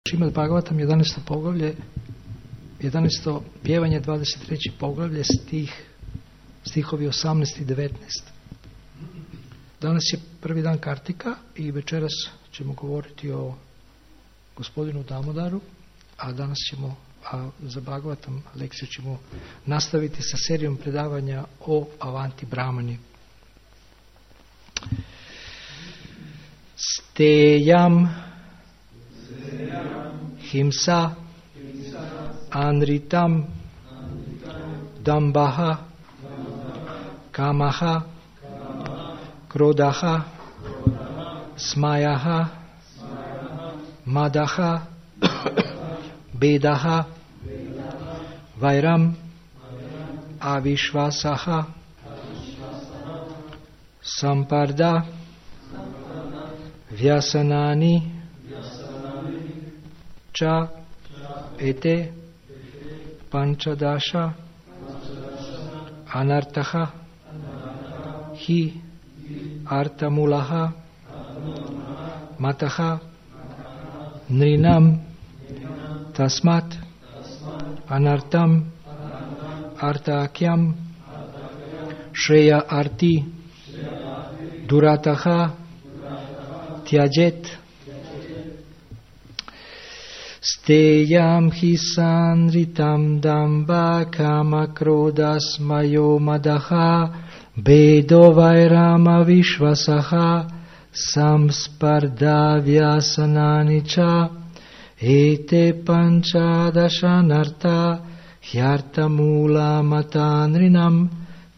Šrimad Bhagavatam 11. poglavlje, 11. pjevanje, 23. poglavlje, stihovi 18 i 19. Danas je prvi dan Kartika i večeras ćemo govoriti o gospodinu Damodaru, a danas ćemo, za Bhagavatam lekciju ćemo nastaviti sa serijom predavanja o Avanti Brahmani. Stejam Himsa Anritam Dambaha Kamaha Krodaha Smayaha Madaha Bedaha Vairam Avishvasaha Samparda Vyasanani Cha ete panchadasha anartaha hi artamulaha mataha nrinam tasmat anartam artakyam shreya arti durataha tyajet Steyam hi sanritam damba kama krodas mayo madaha bedo vairama vishvasaha samsparda vyasananicha ete panchadashanarta hyartamula matanrinam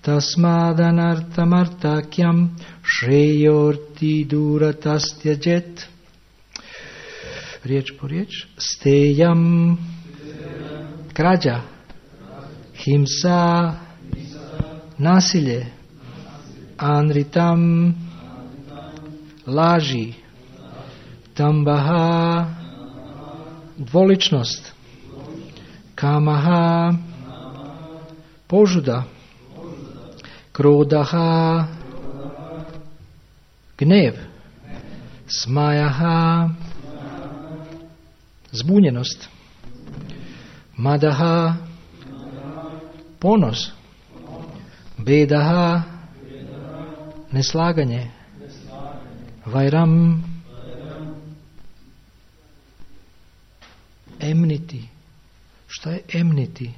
tasmadanartamartakyam shreyorti duratastyajet. Riječ po riječ. Stejam, krađa, himsa, nasilje, anritam, laži, tambaha, dvoličnost, kamaha, požuda, krodaha, gnev, smajaha, zbunjenost, madaha, ponos, bedaha, neslaganje, vairam, enmity. Šta je enmity?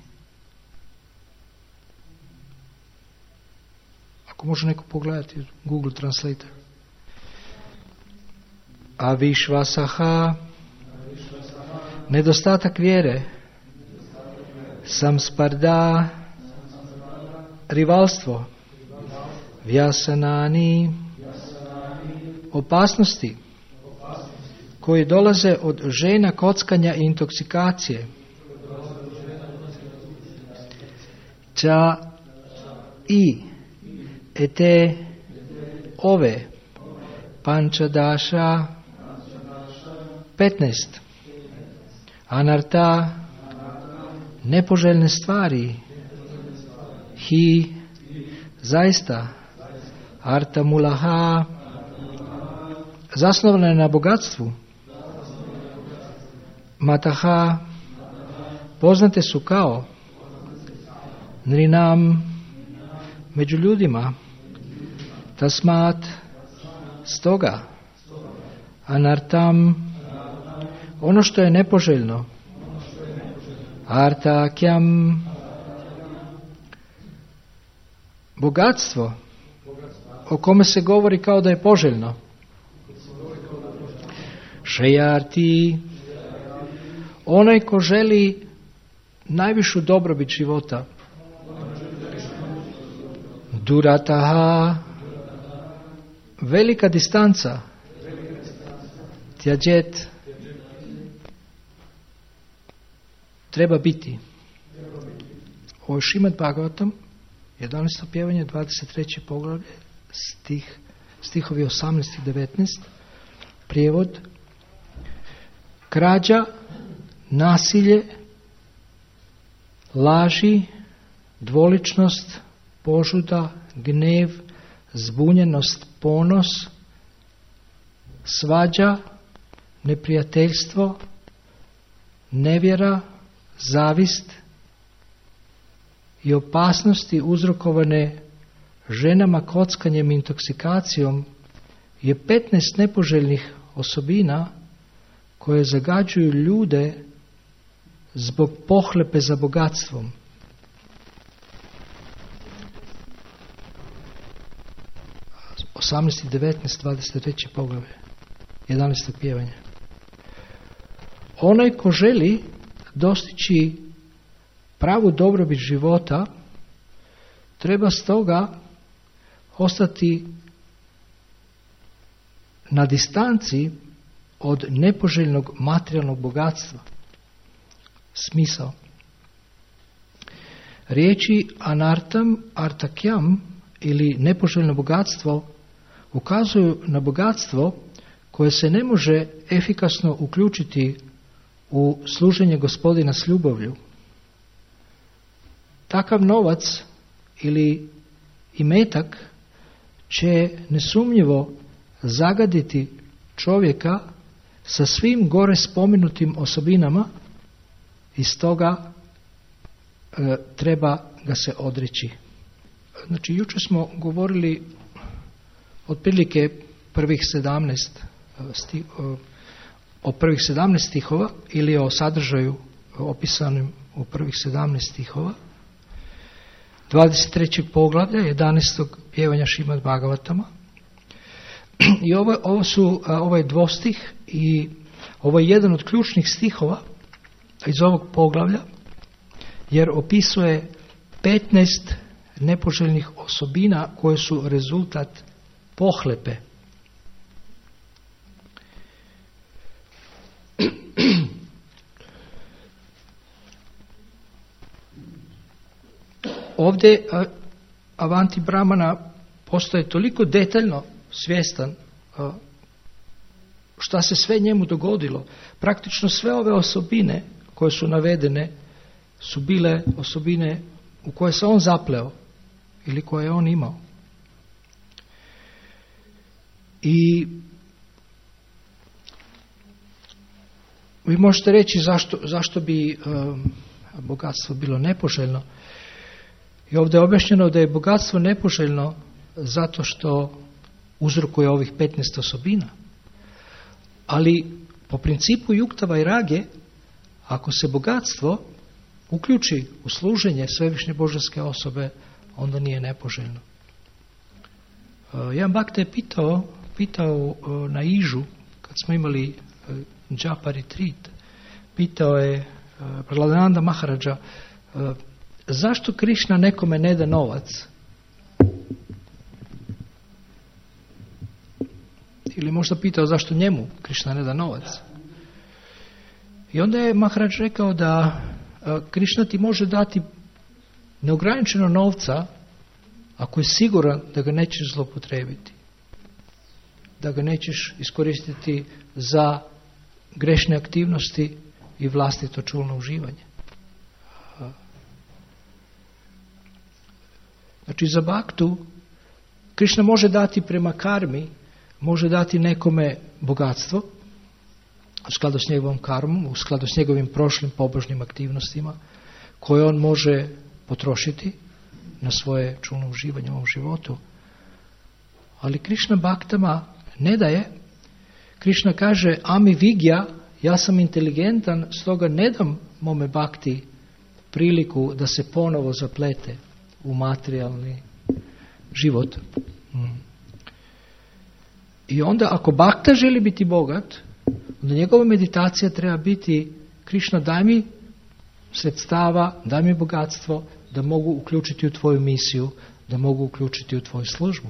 Ako može neko pogledati Google Translator. Avishvasaha, nedostatak vjere, samsparda, rivalstvo, vyasanani, opasnosti koji dolaze od žena, kockanja i intoksikacije, ča i ete ove pančadaša 15 anarta, nepoželjne stvari, hi, zaista, artamulaha, zasnovane na bogatstvu, mataha, poznate su kao, nrinam, među ljudima, tasmat, stoga, anartam, ono što je nepoželjno, artakyam, bogatstvo o kome se govori kao da je poželjno, šejarti, onaj ko želi najvišu dobrobit života, durataha, velika distanca, tyajet, treba biti. Ovo je Šrimad Bhagavatam, 11. pjevanje, 23. poglavlje, stihovi 18 i 19. Prijevod: krađa, nasilje, laži, dvoličnost, požuda, gnev, zbunjenost, ponos, svađa, neprijateljstvo, nevjera, zavist i opasnosti uzrokovane ženama, kockanjem i intoksikacijom je 15 nepoželjnih osobina koje zagađuju ljude zbog pohlepe za bogatstvom. – 18, 19, 23 poglavlje, 11. pjevanje. Onaj ko želi dostići pravu dobrobit života treba stoga ostati na distanci od nepoželjnog materijalnog bogatstva. Smisao. Riječi anartam, artakjam ili nepoželjno bogatstvo ukazuju na bogatstvo koje se ne može efikasno uključiti u služenje Gospodina s ljubavlju. Takav novac ili imetak će nesumnjivo zagaditi čovjeka sa svim gore spomenutim osobinama i stoga treba ga se odreći. Znači, jučer smo govorili otprilike o prvih 17 stihova ili o sadržaju opisanim u prvih 17 stihova 23. poglavlja 11. pjevanja Šrimad Bhagavatama. I ovo je dvostih i ovo je jedan od ključnih stihova iz ovog poglavlja, jer opisuje 15 nepoželjnih osobina koje su rezultat pohlepe. Ovdje Avanti Brahmana postaje toliko detaljno svjestan šta se sve njemu dogodilo. Praktično sve ove osobine koje su navedene su bile osobine u koje se on zapleo ili koje je on imao. I vi možete reći zašto bi bogatstvo bilo nepoželjno. I ovdje je objašnjeno da je bogatstvo nepoželjno zato što uzrokuje ovih 15 osobina. Ali po principu Juktava i Rage, ako se bogatstvo uključi u služenje svevišnje božanske osobe, onda nije nepoželjno. Jedan Bhakta je pitao na Ižu, kad smo imali Japa retreat, pitao je Prahladananda Maharaja, zašto Krišna nekome ne da novac? Ili možda pitao zašto njemu Krišna ne da novac? I onda je Maharaj rekao da Krišna ti može dati neograničeno novca ako je siguran da ga nećeš zloupotrijebiti, da ga nećeš iskoristiti za grešne aktivnosti i vlastito čulno uživanje. Znači, za baktu Krišna može dati prema karmi, može dati nekome bogatstvo u skladu s njegovom karmom, u skladu s njegovim prošlim pobožnim aktivnostima koje on može potrošiti na svoje čulno uživanje u ovom životu. Ali Krišna baktama ne daje. Krišna kaže, ami vigya, ja sam inteligentan, stoga ne dam mome bakti priliku da se ponovo zaplete u materijalni život. I onda ako bakta želi biti bogat, onda njegova meditacija treba biti Krišna, daj mi sredstava, daj mi bogatstvo da mogu uključiti u tvoju misiju, da mogu uključiti u tvoju službu.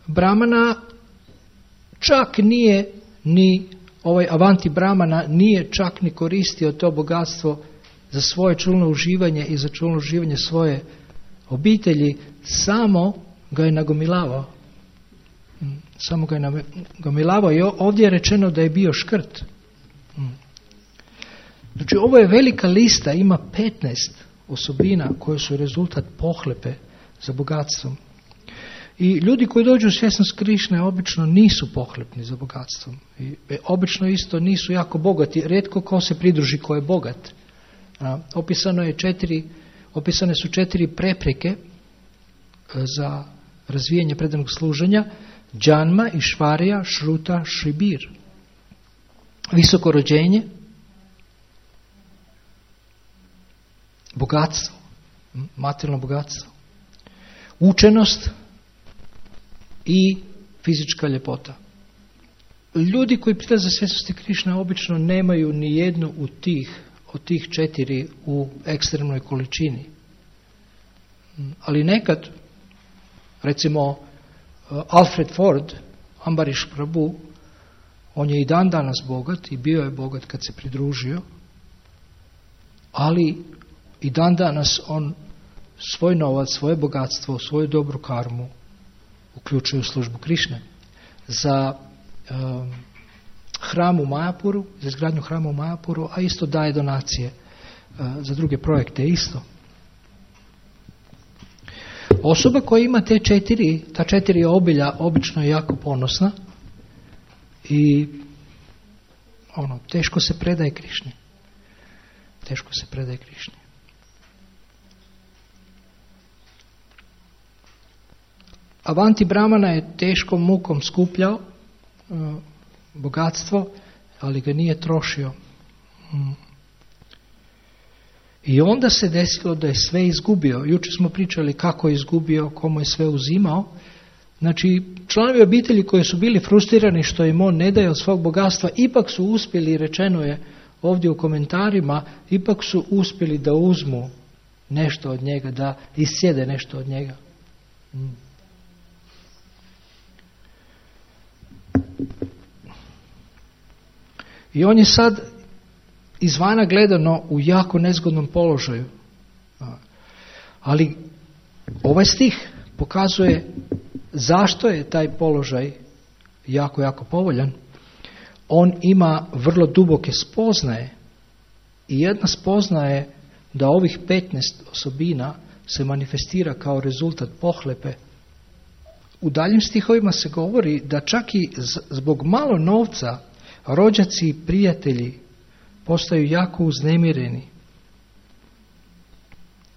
Brahmana čak nije ni ovaj Avanti Brahmana nije čak ni koristio to bogatstvo za svoje čulno uživanje i za čulno uživanje svoje obitelji, samo ga je nagomilavao. Samo ga je nagomilavao i ovdje je rečeno da je bio škrt. Znači, ovo je velika lista, ima 15 osobina koje su rezultat pohlepe za bogatstvom. I ljudi koji dođu u svjesnost Krišne obično nisu pohlepni za bogatstvom. I obično isto nisu jako bogati. Rijetko ko se pridruži ko je bogat. Opisane su 4 prepreke za razvijanje predanog služenja: džanma, išvarija, šruta, šribir. Visoko rođenje, bogatstvo, materijalno bogatstvo, učenost i fizička ljepota. Ljudi koji prilaze svjesnosti Krišne obično nemaju ni jednu od tih 4 u ekstremnoj količini. Ali nekad, recimo Alfred Ford, Ambarish Prabhu, on je i dan danas bogat i bio je bogat kad se pridružio, ali i dan danas on svoj novac, svoje bogatstvo, svoju dobru karmu uključuje u službu Krišne. Za hram u Majapuru, za izgradnju hrama u Majapuru, a isto daje donacije za druge projekte isto. Osoba koja ima ta 4 obilja obično je jako ponosna i teško se predaje Krišni. Teško se predaje Krišni. Avanti Brahmana je teškom mukom skupljao bogatstvo, ali ga nije trošio. I onda se desilo da je sve izgubio. Jučer smo pričali kako je izgubio, komu je sve uzimao. Znači, članovi obitelji koji su bili frustrirani što im on ne daje od svog bogatstva, ipak su uspjeli, rečeno je ovdje u komentarima, ipak su uspjeli da uzmu nešto od njega, da isjede nešto od njega. I on je sad izvana gledano u jako nezgodnom položaju. Ali ovaj stih pokazuje zašto je taj položaj jako, jako povoljan. On ima vrlo duboke spoznaje i jedna spoznaja je da ovih 15 osobina se manifestira kao rezultat pohlepe. U daljim stihovima se govori da čak i zbog malo novca rođaci i prijatelji postaju jako uznemireni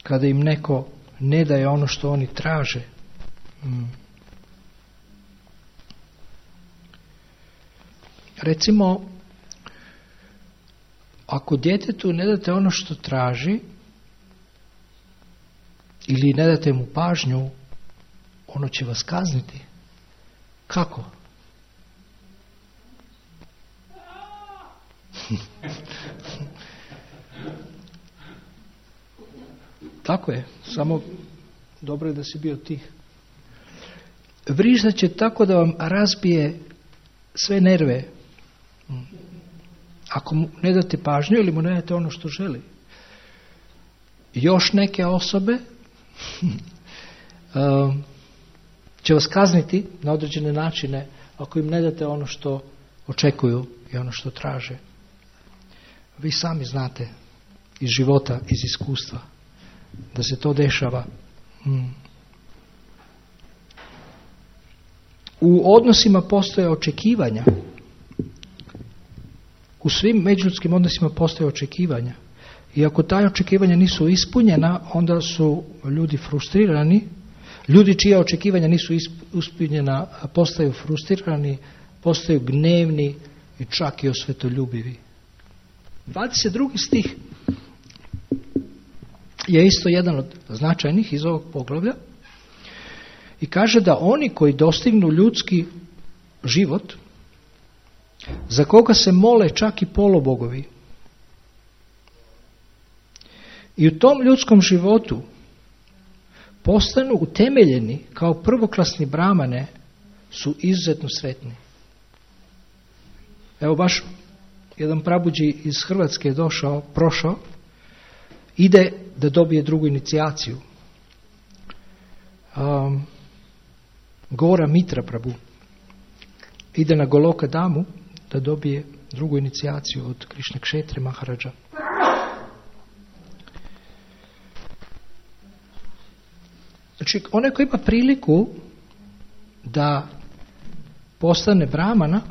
kada im neko ne daje ono što oni traže. Recimo, ako djetetu ne date ono što traži ili ne date mu pažnju, ono će vas kazniti. Kako? Tako je, samo dobro je da si bio tih. Vriždat će tako da vam razbije sve nerve. Ako mu ne date pažnju ili mu ne date ono što želi. Još neke osobe će vas kazniti na određene načine ako im ne date ono što očekuju i ono što traže. Vi sami znate iz života, iz iskustva da se to dešava. U odnosima postoje očekivanja. U svim međuljudskim odnosima postoje očekivanja. I ako ta očekivanja nisu ispunjena, onda su ljudi frustrirani. Ljudi čija očekivanja nisu ispunjena postaju frustrirani, postaju gnevni i čak i osvetoljubivi. 22. stih je isto jedan od značajnih iz ovog poglavlja i kaže da oni koji dostignu ljudski život, za koga se mole čak i polubogovi, i u tom ljudskom životu postanu utemeljeni kao prvoklasni brahmane, su izuzetno sretni. Evo baš jedan prabuđi iz Hrvatske je prošao, ide da dobije drugu inicijaciju. Gora Mitra Prabhu ide na Goloka Damu da dobije drugu inicijaciju od Krišne Kšetre Maharadža. Znači, onaj koji ima priliku da postane brahmana,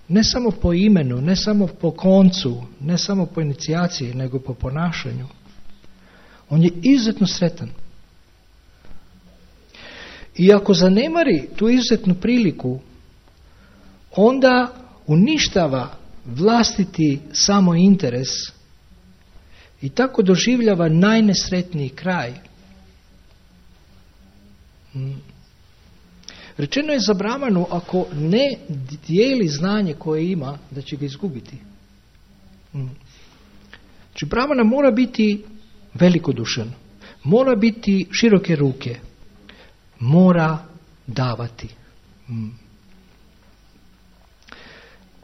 ne samo po imenu, ne samo po koncu, ne samo po inicijaciji, nego po ponašanju, on je izuzetno sretan. I ako zanemari tu izuzetnu priliku, onda uništava vlastiti samo interes i tako doživljava najnesretniji kraj. Rečeno je za brahmanu, ako ne dijeli znanje koje ima, da će ga izgubiti. Znači brahmana mora biti velikodušan, mora biti široke ruke, mora davati.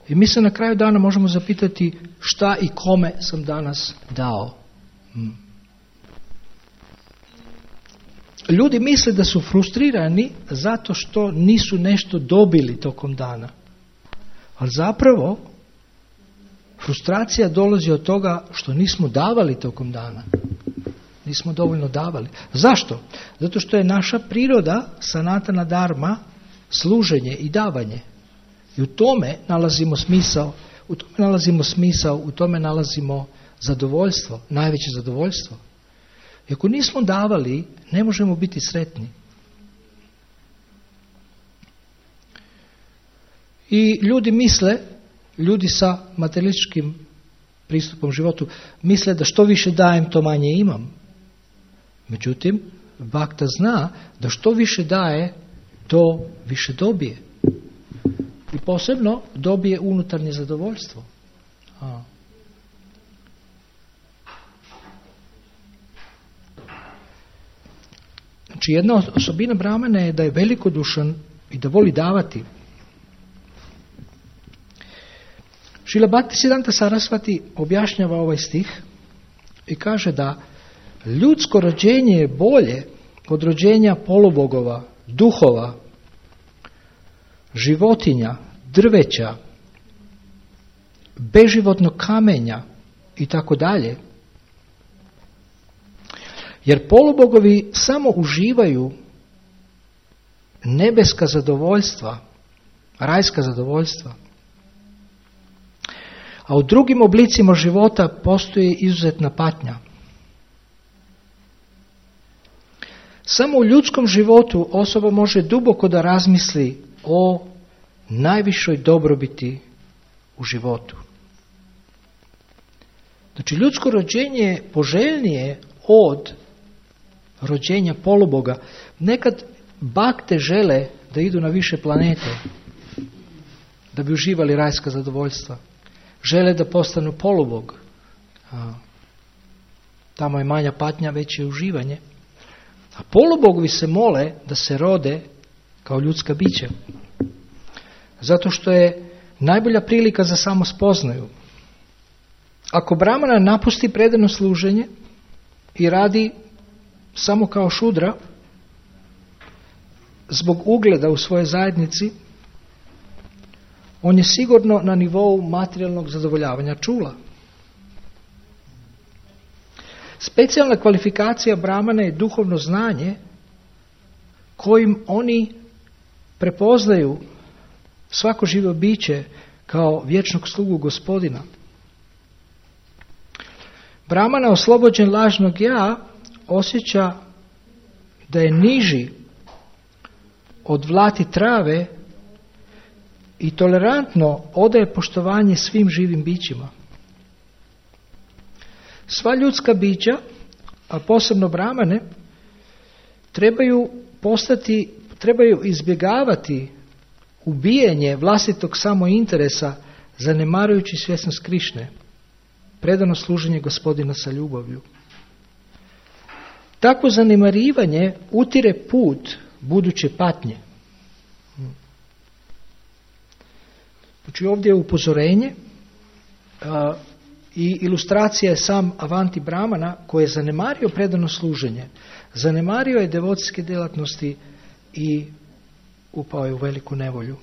I mi se na kraju dana možemo zapitati šta i kome sam danas dao. Ljudi misle da su frustrirani zato što nisu nešto dobili tokom dana. Ali zapravo frustracija dolazi od toga što nismo davali tokom dana. Nismo dovoljno davali. Zašto? Zato što je naša priroda, sanatana dharma, služenje i davanje. I u tome nalazimo smisao, u tome nalazimo zadovoljstvo, najveće zadovoljstvo. I ako nismo davali, ne možemo biti sretni. I ljudi sa materialističkim pristupom životu, misle da što više dajem, to manje imam. Međutim, Bhakta zna da što više daje, to više dobije. I posebno dobije unutarnje zadovoljstvo. Znači jedna osobina brahmana je da je velikodušan i da voli davati. Šrila Bhaktisiddhanta Sarasvati objašnjava ovaj stih i kaže da ljudsko rođenje je bolje od rođenja polubogova, duhova, životinja, drveća, beživotnog kamenja i tako dalje. Jer polubogovi samo uživaju nebeska zadovoljstva, rajska zadovoljstva. A u drugim oblicima života postoji izuzetna patnja. Samo u ljudskom životu osoba može duboko da razmisli o najvišoj dobrobiti u životu. Znači ljudsko rođenje je poželjnije od rođenja poluboga. Nekad bakte žele da idu na više planete da bi uživali rajska zadovoljstva. Žele da postanu polubog. Tamo je manja patnja, veće uživanje. A polubogovi se mole da se rode kao ljudska bića. Zato što je najbolja prilika za samospoznaju. Ako brahmana napusti predano služenje i radi samo kao šudra, zbog ugleda u svojoj zajednici, on je sigurno na nivou materijalnog zadovoljavanja čula. Specijalna kvalifikacija brahmana je duhovno znanje kojim oni prepoznaju svako živo biće kao vječnog slugu Gospodina. Brahmana oslobođen lažnog ja osjeća da je niži od vlati trave i tolerantno odaje poštovanje svim živim bićima. Sva ljudska bića, a posebno brahmane, trebaju izbjegavati ubijanje vlastitog samointeresa zanemarujući svjesnost Krišne, predano služenje Gospodina sa ljubavlju. Takvo zanemarivanje utire put buduće patnje. Znači ovdje je upozorenje i ilustracija je sam Avanti Brahmana koji je zanemario predano služenje, zanemario je devocijske djelatnosti i upao je u veliku nevolju.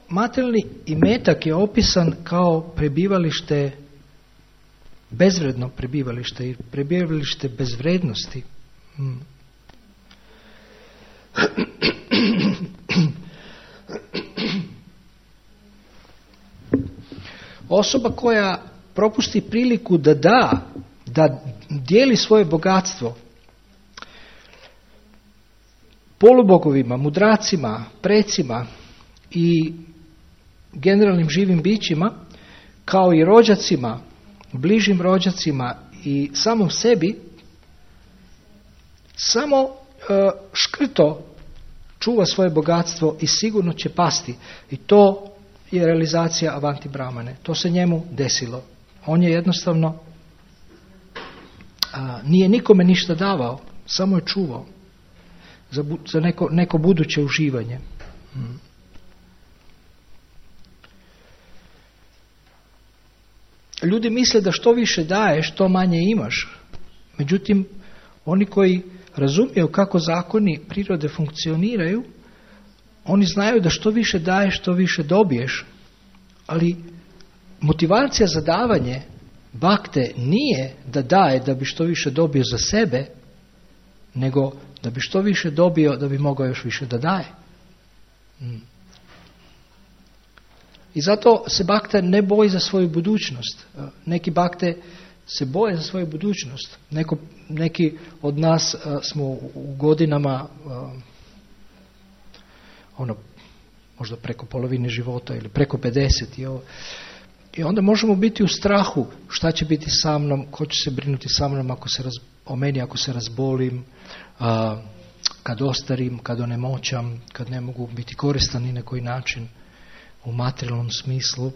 Materijalni imetak je opisan kao prebivalište bezvredno prebivalište i prebivalište bezvrednosti. Osoba koja propusti priliku da dijeli svoje bogatstvo polubogovima, mudracima, precima i generalnim živim bićima, kao i rođacima, bližim rođacima i samom sebi, samo škrto čuva svoje bogatstvo i sigurno će pasti. I to je realizacija Avanti Brahmane. To se njemu desilo. On je jednostavno nije nikome ništa davao, samo je čuvao za neko buduće uživanje. Ljudi misle da što više daješ, što manje imaš. Međutim, oni koji razumiju kako zakoni prirode funkcioniraju, oni znaju da što više daješ, što više dobiješ. Ali motivacija za davanje bakte nije da daje da bi što više dobio za sebe, nego da bi što više dobio da bi mogao još više da daje. I zato se bakta ne boji za svoju budućnost. Neki bakte se boje za svoju budućnost. Neki od nas smo u godinama možda preko polovine života ili preko 50 i onda možemo biti u strahu šta će biti sa mnom, ko će se brinuti sa mnom o meni ako se razbolim, kad ostarim, kad onemoćam, kad ne mogu biti koristan ni na koji način u materijalnom smislu.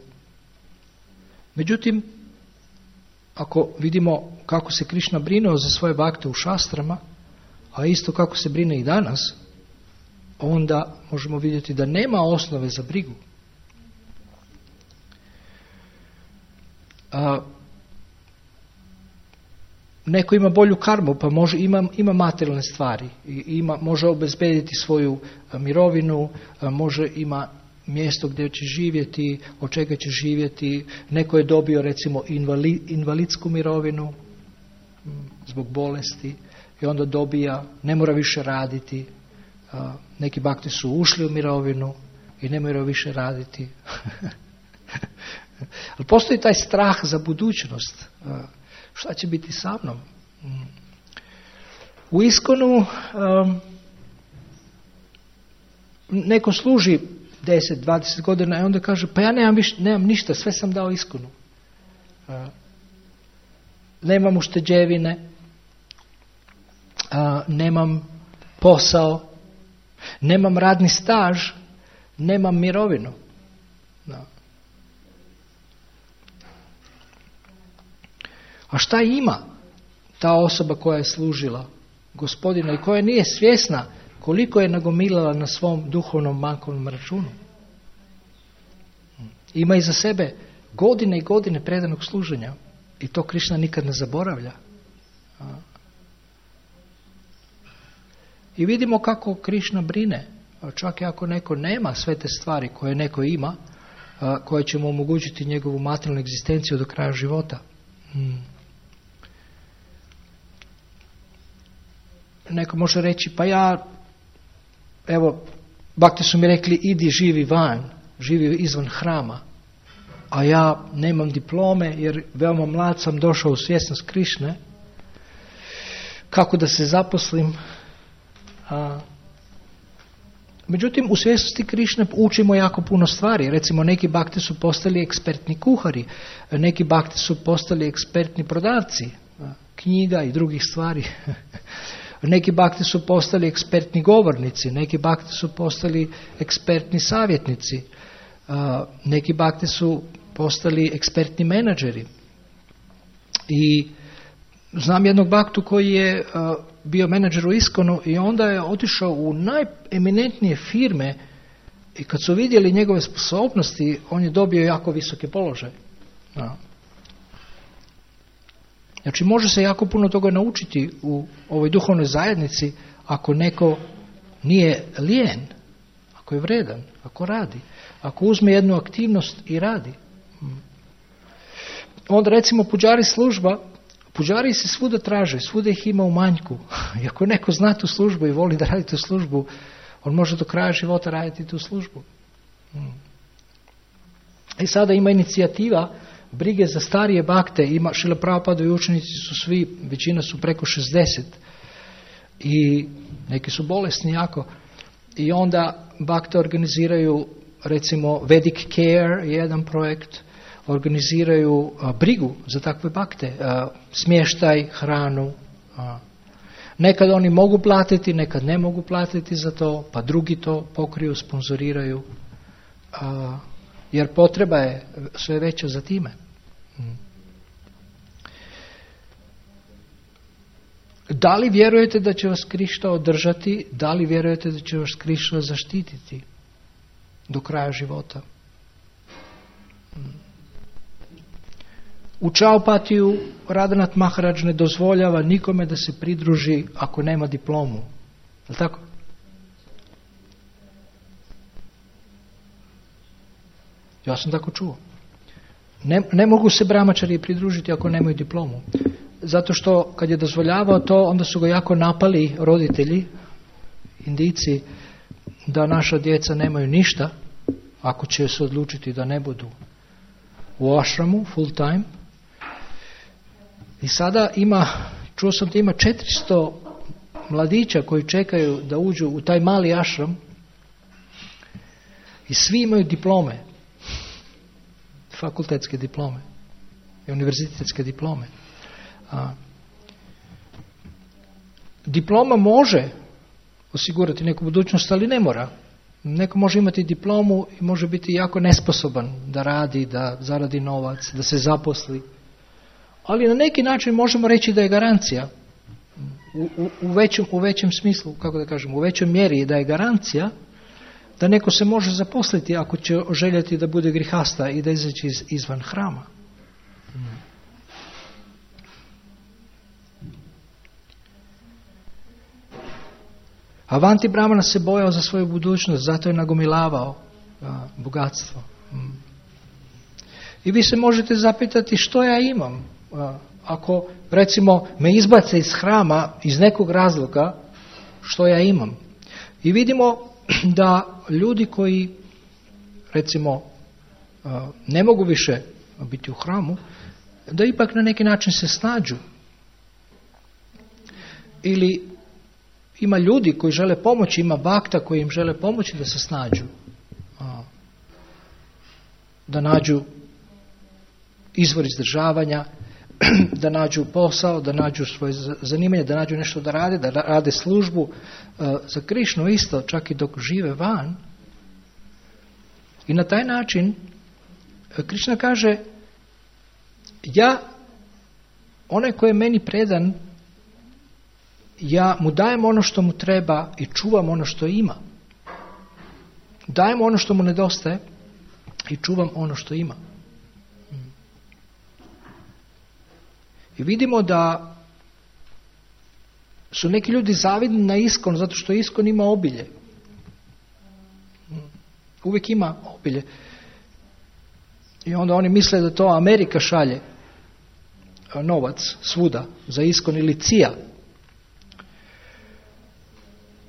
Međutim, ako vidimo kako se Krišna brinuo za svoje bakte u šastrama, a isto kako se brine i danas, onda možemo vidjeti da nema osnove za brigu. Neko ima bolju karmu, pa ima materijalne stvari, može obezbediti svoju mirovinu, ima mjesto gdje će živjeti, od čega će živjeti. Neko je dobio recimo invalidsku mirovinu zbog bolesti i onda dobija, ne mora više raditi. Neki bakti su ušli u mirovinu i ne moraju više raditi. Ali postoji taj strah za budućnost. Šta će biti sa mnom? U Iskonu neko služi 10-20 godina i onda kaže, pa ja nemam ništa, sve sam dao Iskonu. Nemam ušteđevine, nemam posao, nemam radni staž, nemam mirovinu. A šta ima ta osoba koja je služila Gospodina i koja nije svjesna koliko je nagomilala na svom duhovnom bankovnom računu? Ima iza sebe godine i godine predanog služenja i to Krišna nikad ne zaboravlja. I vidimo kako Krišna brine, čak i ako neko nema sve te stvari koje neko ima, koje će mu omogućiti njegovu materijalnu egzistenciju do kraja života. Neko može reći, pa bakti su mi rekli, idi živi van, živi izvan hrama, a ja nemam diplome jer veoma mlad sam došao u svjesnost Krišne, kako da se zaposlim? Međutim, u svjesnosti Krišne učimo jako puno stvari. Recimo, neki bakti su postali ekspertni kuhari, neki bakti su postali ekspertni prodavci knjiga i drugih stvari. Neki bakti su postali ekspertni govornici, neki bakti su postali ekspertni savjetnici, neki bakti su postali ekspertni menadžeri. I znam jednog baktu koji je bio menadžer u Iskonu i onda je otišao u najeminentnije firme i kad su vidjeli njegove sposobnosti, on je dobio jako visoke položaje. Znači, može se jako puno toga naučiti u ovoj duhovnoj zajednici ako neko nije lijen, ako je vredan, ako radi, ako uzme jednu aktivnost i radi. onda recimo puđari služba, puđari se svuda traže, svuda ih ima u manjku. I ako neko zna tu službu i voli da radi tu službu, on može do kraja života raditi tu službu. I sada ima inicijativa brige za starije bakte. Šrila Prabhupada i učenici su svi, većina su preko 60 i neki su bolesni jako. I onda bakte organiziraju, recimo Vedic Care je jedan projekt, organiziraju brigu za takve bakte, smještaj, hranu. Nekad oni mogu platiti, nekad ne mogu platiti za to, pa drugi to pokriju, sponzoriraju, jer potreba je sve veća za time. Da li vjerujete da će vas Krišna održati? Da li vjerujete da će vas Krišna zaštititi do kraja života? U Čaupatiju Radhanath Maharaj ne dozvoljava nikome da se pridruži ako nema diplomu. Je li tako? Ja sam tako čuo. Ne mogu se brahmačari pridružiti ako nemaju diplomu. Zato što kad je dozvoljavao to, onda su ga jako napali roditelji, Indijci, da naša djeca nemaju ništa ako će se odlučiti da ne budu u ashramu full time. I sada čuo sam da ima 400 mladića koji čekaju da uđu u taj mali ashram i svi imaju diplome, fakultetske diplome i univerzitetske diplome. Diploma može osigurati neku budućnost, ali ne mora. Neko može imati diplomu i može biti jako nesposoban da radi, da zaradi novac, da se zaposli. Ali na neki način možemo reći da je garancija u većem smislu, kako da kažem, u većoj mjeri da je garancija da neko se može zaposliti ako će željeti da bude grihasta i da izaći izvan hrama. Avanti Brahmana se bojao za svoju budućnost, zato je nagomilavao bogatstvo. I vi se možete zapitati što ja imam. Ako recimo me izbace iz hrama iz nekog razloga, što ja imam. I vidimo da ljudi koji recimo ne mogu više biti u hramu, da ipak na neki način se snađu. Ili ima ljudi koji žele pomoći, ima bakta koji im žele pomoći da se snađu. Da nađu izvor izdržavanja, da nađu posao, da nađu svoje zanimanje, da nađu nešto da rade službu za Krišnu isto, čak i dok žive van. I na taj način Krišna kaže, onaj koji je meni predan, ja mu dajem ono što mu treba i čuvam ono što ima. Dajem ono što mu nedostaje i čuvam ono što ima. I vidimo da su neki ljudi zavidni na ISKCON zato što ISKCON ima obilje. Uvijek ima obilje. I onda oni misle da to Amerika šalje novac svuda za ISKCON ili CIA.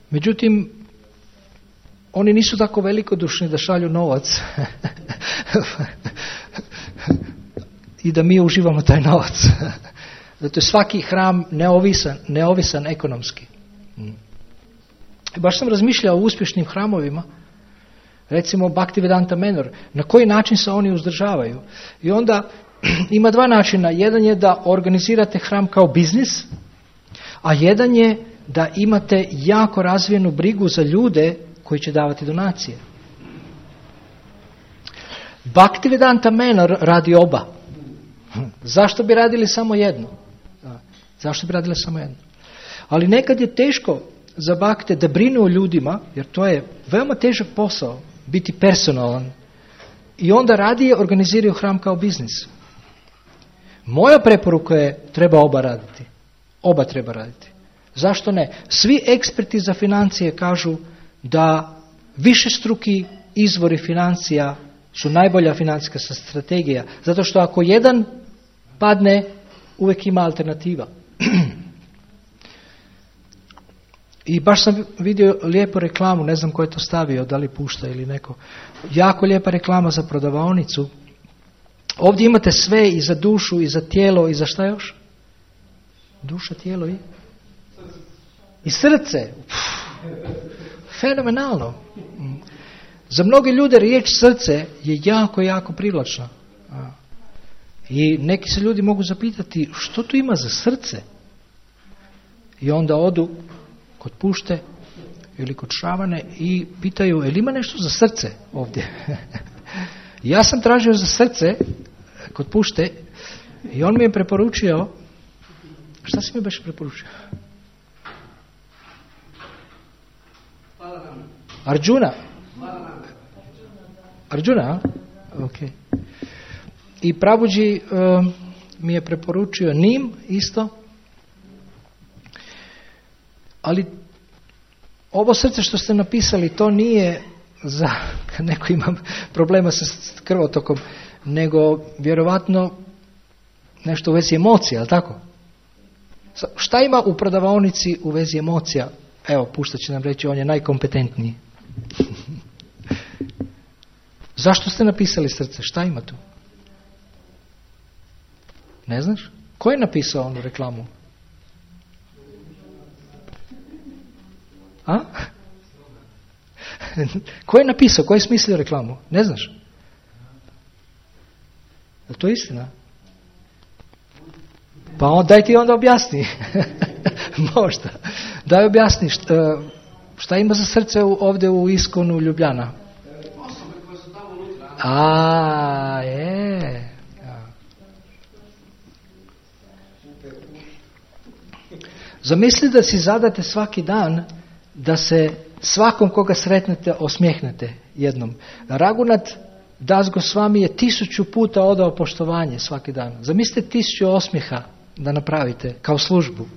Međutim, oni nisu tako velikodušni da šalju novac i da mi uživamo taj novac. Zato je svaki hram neovisan ekonomski. I baš sam razmišljao o uspješnim hramovima, recimo Bhaktivedanta Manor, na koji način se oni uzdržavaju. I onda ima dva načina. Jedan je da organizirate hram kao biznis, a jedan je da imate jako razvijenu brigu za ljude koji će davati donacije. Bhaktivedanta Manor radi oba. Zašto bi radili samo jedno? Zašto bi radili samo jedno? Ali nekad je teško za bakte da brinu o ljudima, jer to je veoma težak posao, biti personalan. I onda radije organiziraju hram kao biznis. Moja preporuka je treba oba raditi. Oba treba raditi. Zašto ne? Svi eksperti za financije kažu da višestruki izvori financija su najbolja financijska strategija. Zato što ako jedan padne, uvijek ima alternativa. I baš sam vidio lijepu reklamu, ne znam ko je to stavio, da li pušta ili neko. Jako lijepa reklama za prodavaonicu. Ovdje imate sve i za dušu, i za tijelo, i za šta još? Duša, tijelo i srce. Fenomenalno. Za mnoge ljude riječ srce je jako, jako privlačna. I neki se ljudi mogu zapitati što tu ima za srce? I onda odu kod pušte ili kod šamane i pitaju, jel ima nešto za srce ovdje? Ja sam tražio za srce kod pušte i on mi je preporučio, šta si mi baš preporučio? Arjuna? Arjuna, ok. I Prabhuji mi je preporučio Nim isto. Ali ovo srce što ste napisali, to nije za kad neko ima problema sa krvotokom, nego vjerovatno nešto u vezi emocija, ali tako? Šta ima u prodavaonici u vezi emocija? Evo, pušta će nam reći, on je najkompetentniji. Zašto ste napisali srce? Šta ima tu? Ne znaš? Ko je napisao onu reklamu? A? Ko je napisao? Ko je smislio reklamu? Ne znaš? Je to istina? Pa daj ti onda objasni. Možda. Daj objasni šta ima za srce ovdje u Iskonu Ljubljana. Osobe koje su tamo unutra. A, je. Zamisli da si zadate svaki dan da se svakom koga sretnete osmijehnete jednom. Raghunath Das Gosvami je 1000 puta odao poštovanje svaki dan. Zamislite 1000 osmijeha da napravite kao službu.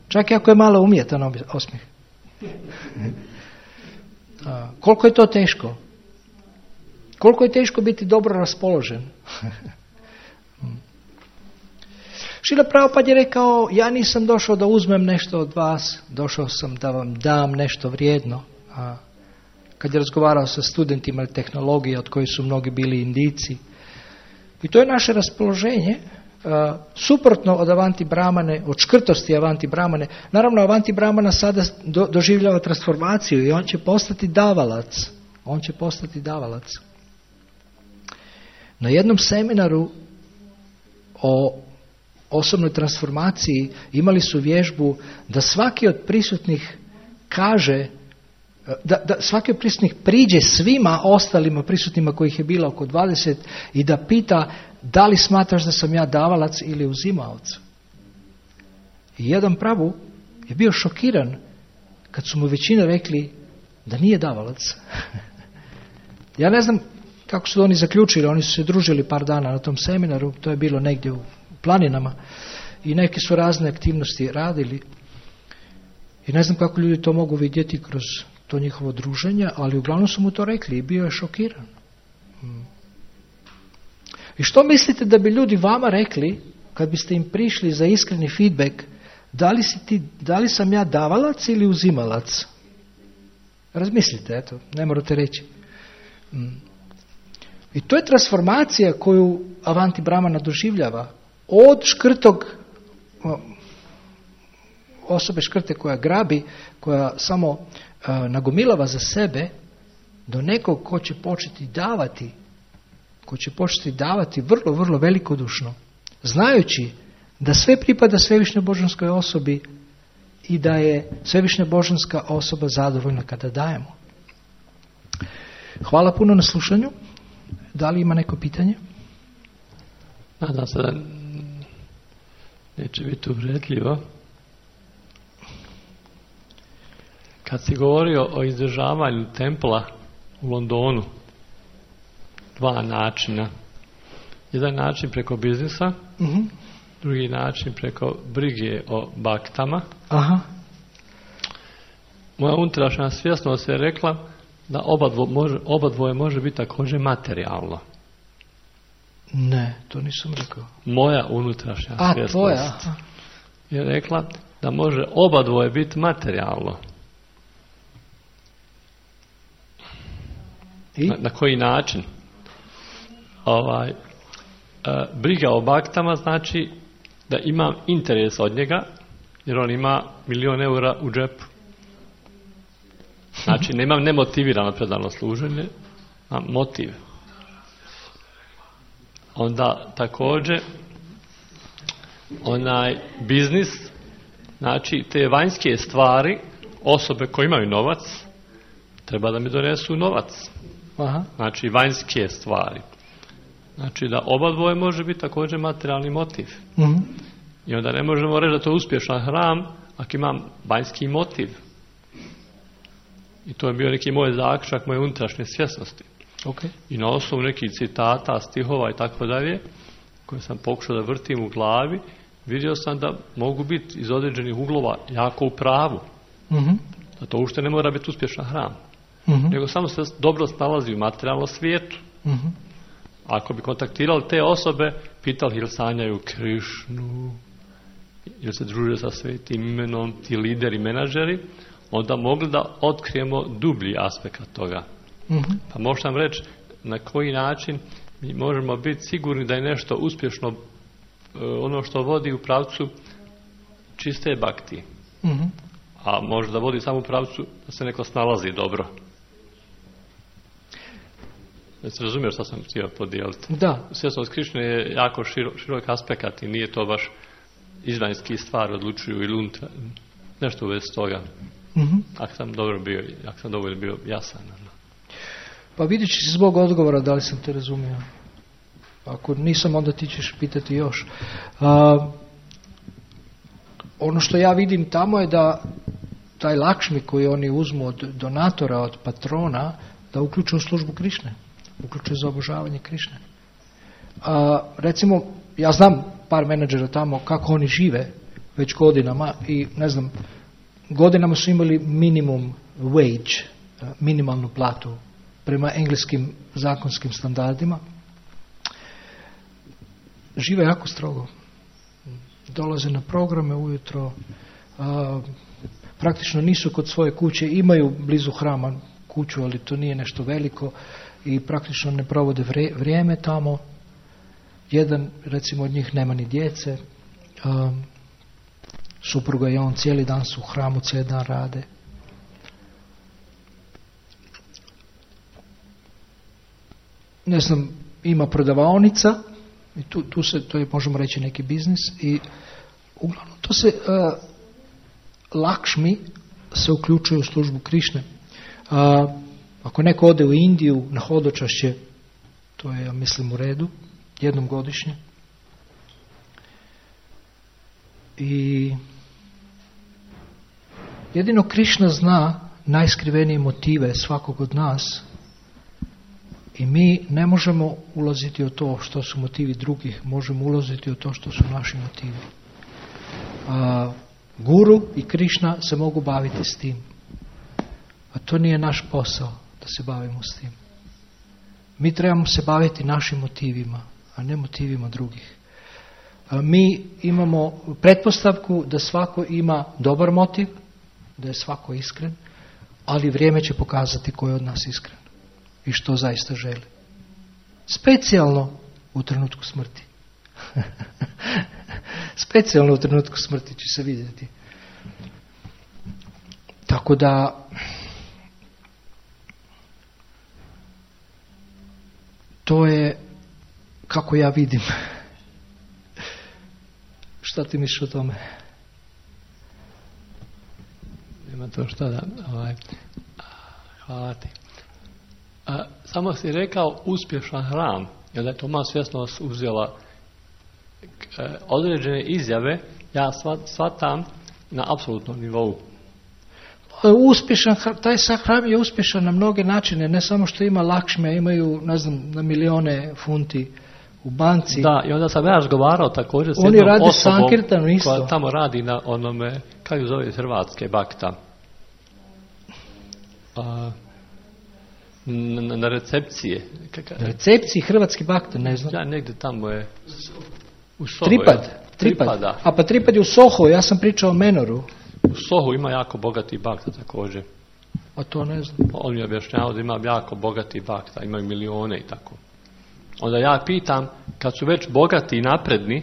Čak i ako je malo umjetan osmijeh. Koliko je to teško? Koliko je teško biti dobro raspoložen? Šrila Prabhupada je rekao, ja nisam došao da uzmem nešto od vas, došao sam da vam dam nešto vrijedno. Kad je razgovarao sa studentima tehnologije, od kojih su mnogi bili Indijci. I to je naše raspoloženje, suprotno od Avanti Brahmane, od škrtosti Avanti Brahmane. Naravno, Avanti Brahmana sada doživljava transformaciju i on će postati davalac. On će postati davalac. Na jednom seminaru o osobnoj transformaciji imali su vježbu da svaki od prisutnih kaže, da svaki od prisutnih priđe svima ostalima prisutnima kojih je bilo oko 20 i da pita da li smatraš da sam ja davalac ili uzimalac. I jedan Prabhu je bio šokiran kad su mu većina rekli da nije davalac. Ja ne znam kako su oni zaključili, oni su se družili par dana na tom seminaru, to je bilo negdje u planinama i neke su razne aktivnosti radili i ne znam kako ljudi to mogu vidjeti kroz to njihovo druženje, ali uglavnom su mu to rekli i bio je šokiran. I što mislite da bi ljudi vama rekli kad biste im prišli za iskreni feedback, da li sam ja davalac ili uzimalac? Razmislite, eto, ne morate reći. I to je transformacija koju Avanti Brahmana doživljava. Od škrtog, osobe škrte koja grabi, koja samo nagomilava za sebe, do nekog ko će početi davati vrlo, vrlo velikodušno, znajući da sve pripada svevišnjoj božanskoj osobi i da je svevišnja božanska osoba zadovoljna kada dajemo. Hvala puno na slušanju. Da li ima neko pitanje? Nadam se da neće biti uvredljivo. Kad si govorio o izdržavanju templa u Londonu, 2 načina. Jedan način preko biznisa, drugi način preko brige o baktama. Aha. Moja unutrašnja svjesnost je rekla da oba dvoje može biti također materijalno. Ne, to nisam rekao. Moja unutrašnja svjesnost tvoja. je rekla da može oba dvoje biti materijalno. I? Na koji način? Briga o baktama znači da imam interes od njega, jer on ima 1.000.000 eura u džepu. Znači, nemam nemotivirano predano služenje, a motiv. Onda također onaj biznis, znači te vanjske stvari, osobe koje imaju novac, treba da mi donesu novac. Aha. Znači vanjske stvari. Znači da oba dvoje može biti također materijalni motiv. Mhm. I onda ne možemo reći da to je uspješan hram ako imam vanjski motiv. I to je bio neki moj zaključak moje unutrašnje svjesnosti. Okay. I na osnovu nekih citata, stihova i tako dalje, koje sam pokušao da vrtim u glavi, vidio sam da mogu biti iz određenih uglova jako u pravu. Mm-hmm. Da to uopšte ne mora biti uspješan hram. Mm-hmm. Nego samo se dobro snalazi u materijalnom svijetu. Mm-hmm. Ako bi kontaktirali te osobe, pitali ili sanjaju Krišnu, ili se druže sa svetim imenom, ti lideri, menadžeri, onda mogli da otkrijemo dublji aspekt toga. Mm-hmm. Pa možem reći na koji način mi možemo biti sigurni da je nešto uspješno ono što vodi u pravcu čiste bakti. Mm-hmm. A može da vodi samo u pravcu da se neko snalazi dobro. Jesi razumiješ što sam htio podijeliti? Da. Svjesnost Krišne je jako širok aspekt i nije to baš izvanjski stvar odlučuju ili unutra, nešto u vezi toga. Mm-hmm. Ako sam dovoljno bio jasan. Pa vidjet ćeš zbog odgovora da li sam te razumio. Ako nisam, onda ti ćeš pitati još. Ono što ja vidim tamo je da taj Lakšmi koji oni uzmu od donatora, od patrona, da uključuju službu Krišne. Uključuju za obožavanje Krišne. Recimo, ja znam par menadžera tamo kako oni žive već godinama i ne znam, godinama su imali minimum wage, minimalnu platu prema engleskim zakonskim standardima. Žive jako strogo. Dolaze na programe ujutro, praktično nisu kod svoje kuće, imaju blizu hrama kuću, ali to nije nešto veliko i praktično ne provode vrijeme tamo. Jedan, recimo, od njih nema ni djece, supruga i on cijeli dan su u hramu, cijeli dan rade. Ne znam, ima prodavaonica i to je, možemo reći, neki biznis i uglavnom to se Lakšmi se uključuje u službu Krišne. Ako neko ode u Indiju na hodočašće, to je, ja mislim, u redu, jednom godišnje. I jedino Krišna zna najskrivenije motive svakog od nas i mi ne možemo ulaziti u to što su motivi drugih, možemo ulaziti u to što su naši motivi. Guru i Krišna se mogu baviti s tim, a to nije naš posao da se bavimo s tim. Mi trebamo se baviti našim motivima, a ne motivima drugih. Mi imamo pretpostavku da svako ima dobar motiv, da je svako iskren, ali vrijeme će pokazati ko je od nas iskren i što zaista želi. Specijalno u trenutku smrti. Specijalno u trenutku smrti će se vidjeti. Tako da to je kako ja vidim. Šta ti misliš o tome? Nema to što da... hvala ti. Samo si rekao uspješan hram, jer da je Toma svjesnost uzela određene izjave, ja shvatam na apsolutnom nivou. Uspješan, taj hram je uspješan na mnoge načine, ne samo što ima Lakšme, imaju, ne znam, na milijone funti u banci. Da, i onda sam ja razgovarao također s jednom jednom osobom koja tamo radi na onome, kako zove, Hrvatske bakta. na recepcije. Na recepciji hrvatski bakta, ne znam. Ja, negdje tamo je u Soho. Tripad. A pa Tripad je u Soho, ja sam pričao o Menoru. U Sohu ima jako bogati bakta također. A to ne znam. On mi je objašnjavao da ima jako bogati bakta, imaju milione i tako. Onda ja pitam, kad su već bogati i napredni,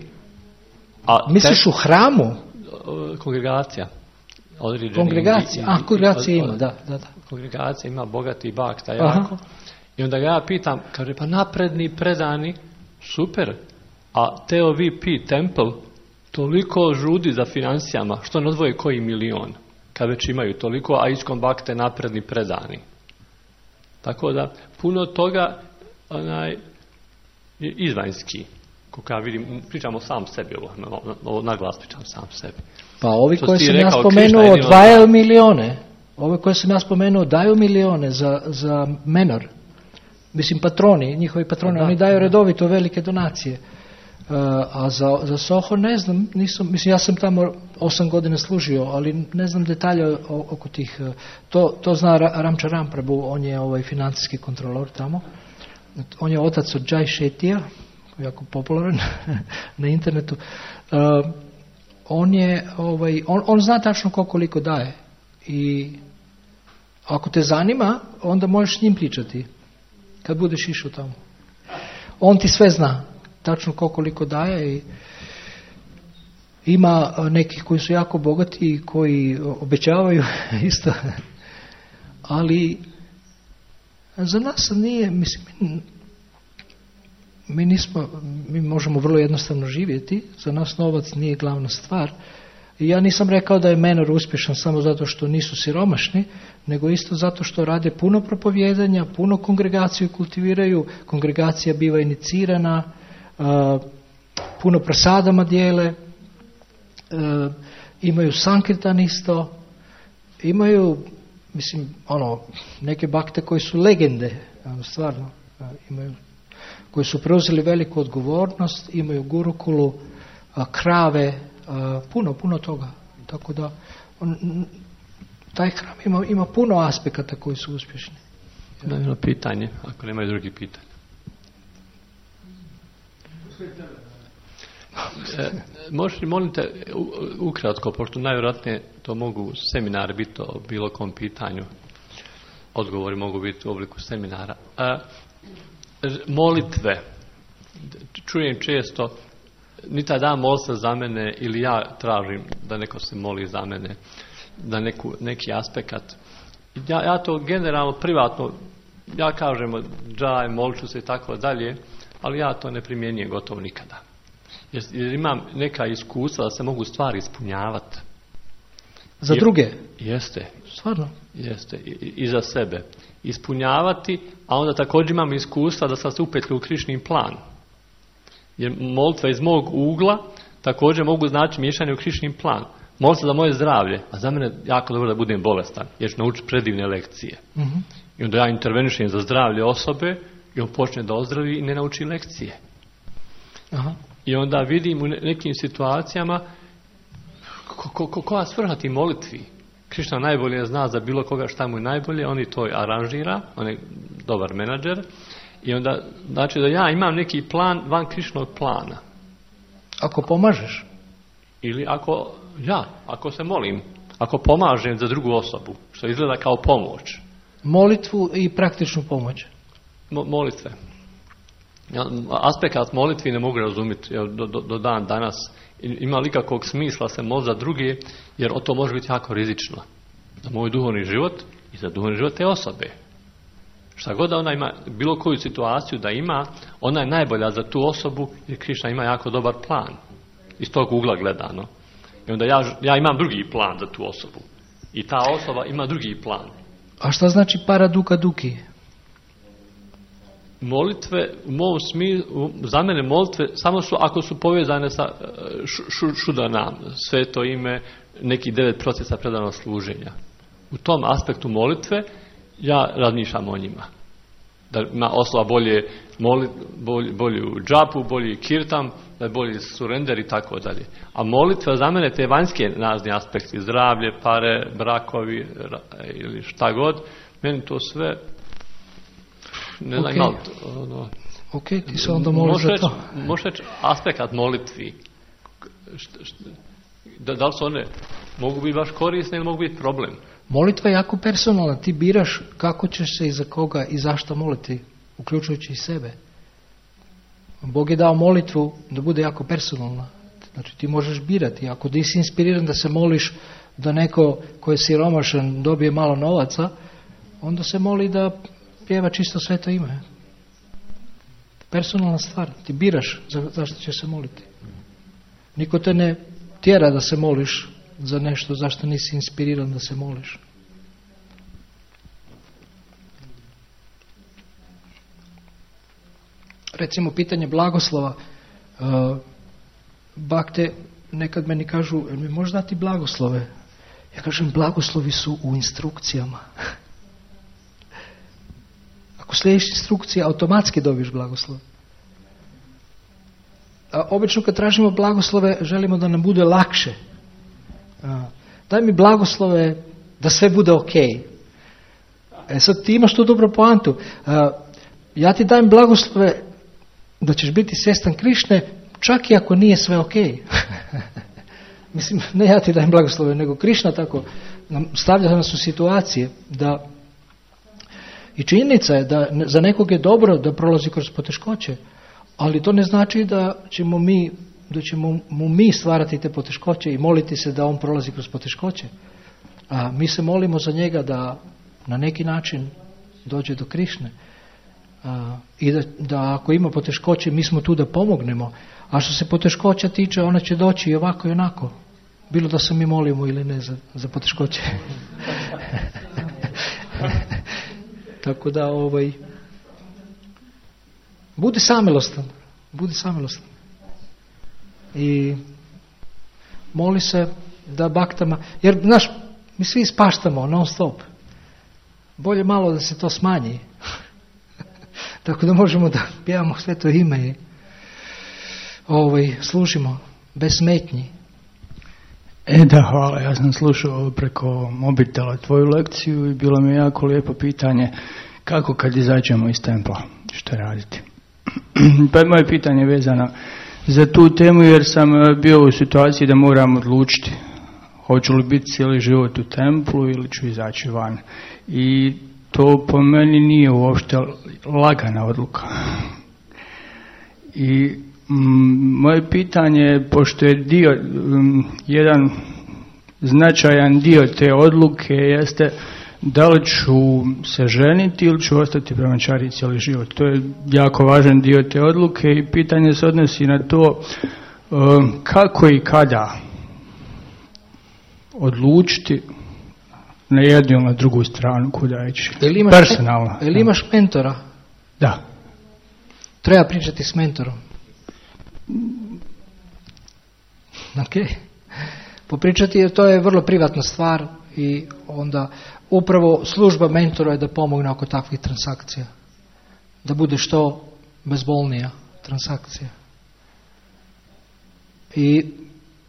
misliš u hramu? Kongregacija. Kongregacija ima, da. Kongregacija ima bogati bakta jako. I onda ga ja pitam, kaže, pa napredni, predani, super, a TOVP Temple toliko žudi za financijama, što ne odvoje koji milion, kad već imaju toliko, a iskom bakte napredni, predani. Tako da, puno toga je izvanjski. Kako ja vidim, pričamo sam sebi, ovo naglas pričam sam sebi. Pa ovi koji sam ja spomenuo odvajaju milione. Ove koje sam ja spomenuo daju milione za Menor. Mislim, njihovi patroni, oni daju redovito velike donacije. A za Soho ne znam, mislim, ja sam tamo 8 godina služio, ali ne znam detalje oko tih. To zna Ramča Ramprabhu, on je financijski kontrolor tamo. On je otac od Jai Shetija, jako popularan na internetu. On zna tačno koliko daje. I ako te zanima, onda možeš s njim pričati kad budeš išao tamo. On ti sve zna, tačno koliko daje. I ima nekih koji su jako bogati i koji obećavaju isto. Ali za nas nije, mislim, mi možemo vrlo jednostavno živjeti, za nas novac nije glavna stvar. I ja nisam rekao da je Menor uspješan samo zato što nisu siromašni, nego isto zato što rade puno propovijedanja, puno kongregaciju kultiviraju, kongregacija biva inicirana, puno prasadama dijele, imaju sankirtan isto, imaju, mislim, neke bakte koji su legende, stvarno, imaju, koji su preuzeli veliku odgovornost, imaju gurukulu, krave, puno toga. Tako da taj hram ima puno aspekata koji su uspješni. Da, jedno pitanje, ako nemaju drugi pitanja. Možeš li, molim te, ukratko, pošto najvjerojatnije to mogu seminari biti o bilo kom pitanju, odgovori mogu biti u obliku seminara. Molitve. Čujem često, ni taj dan moli se za mene ili ja tražim da neko se moli za mene, da neki aspekt. Ja to generalno, privatno, ja kažem džaj, molit ću se i tako dalje, ali ja to ne primjenjujem gotovo nikada. Jer imam neka iskustva da se mogu stvari ispunjavati. Za druge? Jeste. Stvarno? Jeste. I za sebe. Ispunjavati, a onda također imam iskustva da sam se upetlju u Krišnin plan. Jer molitva iz mog ugla također mogu znači miješanje u Krišnin plan. Molim se za moje zdravlje, a za mene jako dobro da budem bolestan, jer ću naučiti predivne lekcije. Mm-hmm. I onda ja intervenišem za zdravlje osobe i on počne da ozdravi i ne nauči lekcije. Aha. I onda vidim u nekim situacijama koja svrha ti molitvi. Krišna najbolje zna za bilo koga šta mu je najbolje, on i to aranžira, on je dobar menadžer. I onda, znači da ja imam neki plan van Krišnog plana. Ako pomažeš? Ili ako se molim, ako pomažem za drugu osobu, što izgleda kao pomoć. Molitvu i praktičnu pomoć? Molitve. Aspekt molitvi ne mogu razumjeti do dan danas. Ima li kakvog smisla se moliti za druge, jer to može biti jako rizično. Za moj duhovni život i za duhovni život te osobe. Šta god da ona ima, bilo koju situaciju da ima, ona je najbolja za tu osobu, jer Krišna ima jako dobar plan. Iz tog ugla gledano. I onda ja imam drugi plan za tu osobu. I ta osoba ima drugi plan. A šta znači para duka duki? Molitve, u mom smislu, za mene molitve samo su ako su povezane sa šudanam, sveto ime, neki 9 procesa predanog služenja. U tom aspektu molitve ja razmišljam o njima. Da ima osoba bolju džapu, bolji kirtam, da je bolji surender i tako dalje. A molitva za mene te vanjske nazni aspekti, zdravlje, pare, brakovi ili šta god, meni to sve ne znam, okay. Ok, ti se onda moliš za to. Možeš reći aspekt molitvi. Da li su one mogu biti baš korisne ili mogu biti problem? Molitva je jako personalna. Ti biraš kako ćeš se i za koga i zašto moliti, uključujući i sebe. Bog je dao molitvu da bude jako personalna. Znači ti možeš birati. Ako ti si inspiriran da se moliš da neko ko je siromašan dobije malo novaca, onda se moli da pjeva čisto sveto ime. Personalna stvar. Ti biraš zašto će se moliti. Niko te ne tjera da se moliš za nešto zašto nisi inspiriran da se moliš. Recimo pitanje blagoslova. Bakte nekad meni kažu, mi možeš dati blagoslove? Ja kažem, blagoslovi su u instrukcijama. Ako slijediš instrukcije, automatski dobiješ blagoslov. A obično kad tražimo blagoslove, želimo da nam bude lakše. Daj mi blagoslove da sve bude ok. Sad ti imaš tu dobru poantu. Ja ti dajem blagoslove da ćeš biti svjestan Krišne, čak i ako nije sve ok. Mislim, ne ja ti dajem blagoslove, nego Krišna tako stavlja nas u situacije da i činjenica je da za nekog je dobro da prolazi kroz poteškoće, ali to ne znači da ćemo mu mi stvarati te poteškoće i moliti se da on prolazi kroz poteškoće. A mi se molimo za njega da na neki način dođe do Krišne. I da ako ima poteškoće, mi smo tu da pomognemo. A što se poteškoća tiče, ona će doći i ovako i onako. Bilo da se mi molimo ili ne za poteškoće. Tako da budi samilostan. Budi samilostan. I moli se da baktama, jer znaš, mi svi ispaštamo non stop. Bolje malo da se to smanji. Tako da možemo da pjevamo sveto ime i služimo bez smetnji. Da, hvala. Ja sam slušao preko mobitela tvoju lekciju i bilo mi je jako lijepo pitanje kako kad izađemo iz templa, što raditi. Pa moje pitanje je vezano za tu temu jer sam bio u situaciji da moram odlučiti hoću li biti cijeli život u templu ili ću izaći van. I to po meni nije uopšte lagana odluka. I moje pitanje, pošto je jedan značajan dio te odluke jeste da li ću se ženiti ili ću ostati brahmačari cijeli život. To je jako važan dio te odluke i pitanje se odnosi na to kako i kada odlučiti na jednu ili na drugu stranu kuda ići. Personalno. Ili imaš mentora? Da. Treba pričati s mentorom. Ok. Popričati jer to je vrlo privatna stvar i onda upravo služba mentora je da pomogne oko takvih transakcija. Da bude što bezbolnija transakcija. I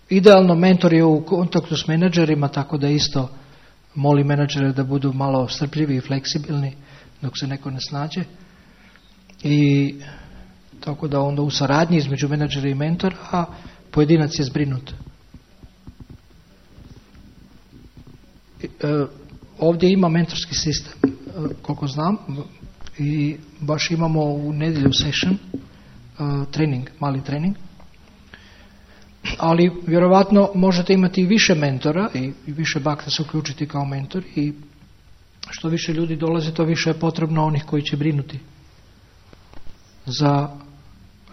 idealno mentor je u kontaktu s menadžerima, tako da isto moli menadžere da budu malo strpljivi i fleksibilni dok se neko ne snađe. I tako da onda u saradnji između menadžera i mentora, a pojedinac je zbrinut. Ovdje ima mentorski sistem, koliko znam, i baš imamo u nedjelju session, trening, mali trening. Ali vjerovatno možete imati i više mentora i više bakta se uključiti kao mentor i što više ljudi dolaze, to više je potrebno onih koji će brinuti za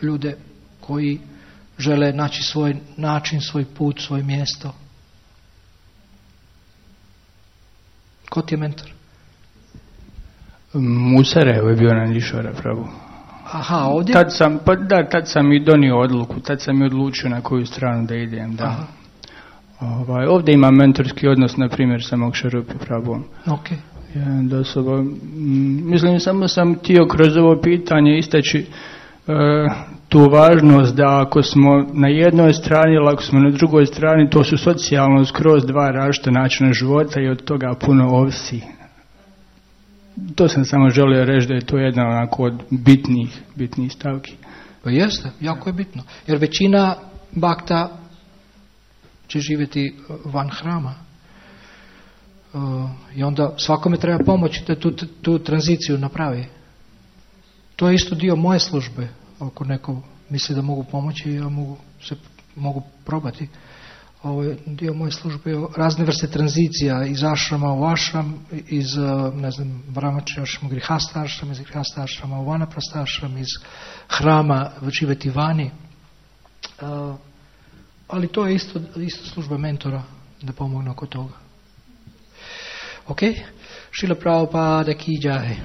ljude koji žele naći svoj način, svoj put, svoje mjesto. Ko ti je mentor? Musarev je bio Nandišvara Prabhu. Aha, ovdje? Tad sam i donio odluku, tad sam i odlučio na koju stranu da idem. Da. Ovdje imam mentorski odnos, na primjer, sa Moksharupi Prabhuom. Okay. Mislim, samo sam htio kroz ovo pitanje istaći tu važnost da ako smo na jednoj strani ili ako smo na drugoj strani, to su socijalno skroz dva različita načina života i od toga puno ovisi. To sam samo želio reći da je to jedna onako od bitnih stavki. Pa jeste, jako je bitno. Jer većina bakta će živjeti van hrama. I onda svakome treba pomoći da tu tranziciju napravi. To je isto dio moje službe. Ako neko misli da mogu pomoći, ja mogu probati. Ovo je dio moje službe, razne vrste tranzicija iz ašrama u ašram, iz, brahmačarja ašrama, grihasta ašrama, iz grihasta ašrama u vanaprasta ašram, iz hrama živjeti vani. Ali to je isto služba mentora da pomogne oko toga. Ok? Šrila Prabhupada ki jai.